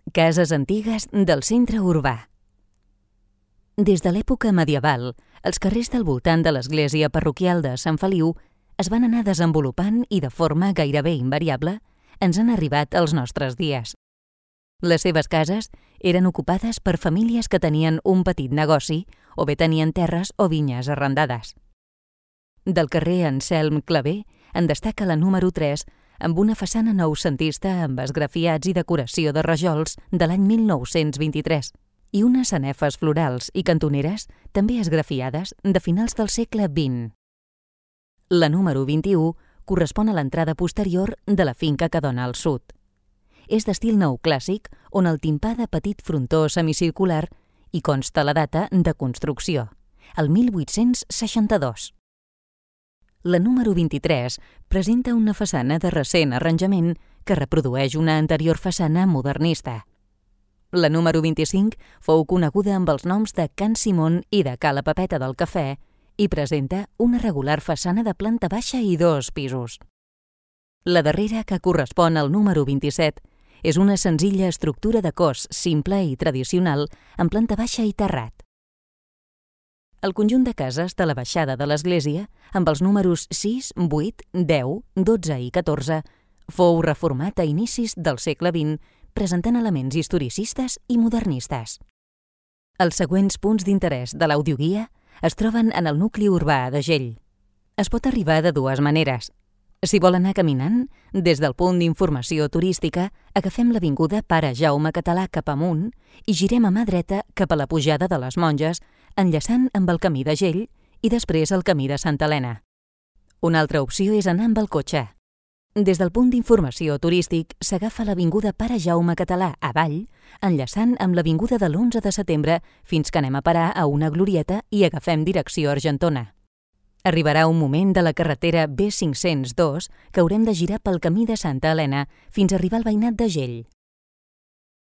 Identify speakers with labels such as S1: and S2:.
S1: Cases antigues del centre urbà. Des de l'època medieval, els carrers del voltant de l'església parroquial de Sant Feliu es van anar desenvolupant i de forma gairebé invariable ens han arribat als nostres dies. Les seves cases eren ocupades per famílies que tenien un petit negoci o bé tenien terres o vinyes arrendades. Del carrer Anselm Clavé en destaca la número 3 amb una façana noucentista amb esgrafiats i decoració de rajols de l'any 1923 i unes sanefes florals i cantoneres també esgrafiades de finals del segle XX. La número 21 correspon a l'entrada posterior de la finca que dona al sud. És d'estil neoclàssic on el timpà de petit frontó semicircular i consta la data de construcció, el 1862. La número 23 presenta una façana de recent arranjament que reprodueix una anterior façana modernista. La número 25 fou coneguda amb els noms de Can Simón i de Ca la Pepeta del Cafè i presenta una regular façana de planta baixa i 2 pisos. La darrera, que correspon al número 27, és una senzilla estructura de cos simple i tradicional amb planta baixa i terrat. El conjunt de cases de la baixada de l'església, amb els números 6, 8, 10, 12 i 14, fou reformat a inicis del segle XX, presentant elements historicistes i modernistes. Els següents punts d'interès de l'audioguia es troben en el nucli urbà de Gell. Es pot arribar de 2 maneres. Si vol anar caminant, des del punt d'informació turística, agafem l'avinguda Pare Jaume Català cap amunt i girem a mà dreta cap a la pujada de les Monges, enllaçant amb el camí de Gell i després el camí de Santa Helena. Una altra opció és anar amb el cotxe. Des del punt d'informació turístic s'agafa l'avinguda Pare Jaume Català avall, enllaçant amb l'avinguda de l'11 de setembre fins que anem a parar a una glorieta i agafem direcció Argentona. Arribarà un moment de la carretera B502 que haurem de girar pel camí de Santa Helena fins a arribar al veïnat de Gell.